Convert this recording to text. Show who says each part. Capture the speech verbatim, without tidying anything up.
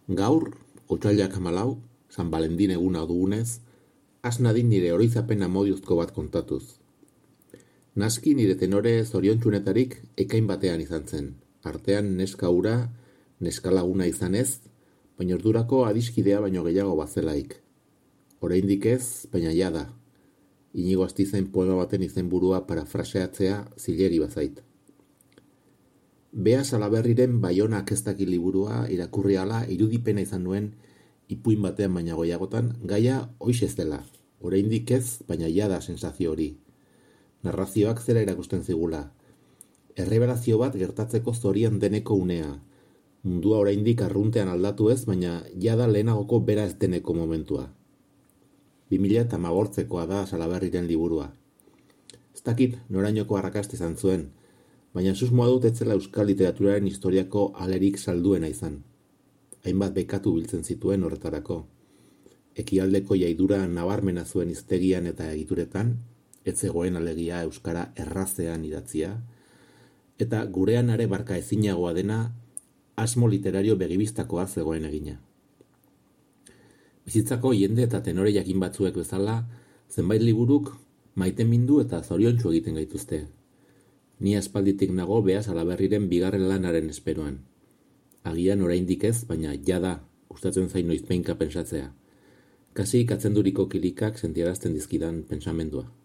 Speaker 1: Gaur, otsailak hamalau, San Valentin eguna dugunez, has nadin nire oroizapen amodiozko bat kontatuz. Naski nire tenore zoriontsunetarik ekain batean izan zen, artean neska ura, neska laguna izanez, baina ordurako adiskidea baino gehiago bazelaik. Oraindik ez, baina jada. Inigo Astizen poema baten izenburua parafraseatzea zilegi bazait. Bea Salaberriren Baionak ez daki liburua irakurri ala irudipena izan nuen ipuin batean baina goiagotan, gaia hoiz ez dela. Oraindik ez, baina jada sensazio hori. Narrazioak zera erakusten zigula. Erreberazio bat gertatzeko zorian deneko unea. Mundua oraindik arruntean aldatu ez, baina jada lehenagoko bera ez deneko momentua. bi mila hamabortzekoa da Salaberriren liburua. Ez dakit norainoko arrakasta izan zuen, baina susmoa dut etzela euskal literaturaren historiako alerik salduena izan. Hainbat bekatu biltzen zituen horretarako. Ekialdeko jaidura nabarmena zuen hiztegian eta egituretan, ez zegoen alegia euskara errazean idatzia, eta gurean are barka ezinagoa dena asmo literario begibistakoa zegoen egina. Bizitzako jende eta tenore jakin batzuek bezala, zenbait liburuk maitemindu eta zoriontsu egiten gaituzte. Ni aspalditik nago Bea Salaberriren bigarren lanaren esperoan. Agian oraindik ez, baina jada gustatzen zain noizbehinka pentsatzea. Kasi katzenduriko kilikak sentiarazten dizkidan pentsamendua.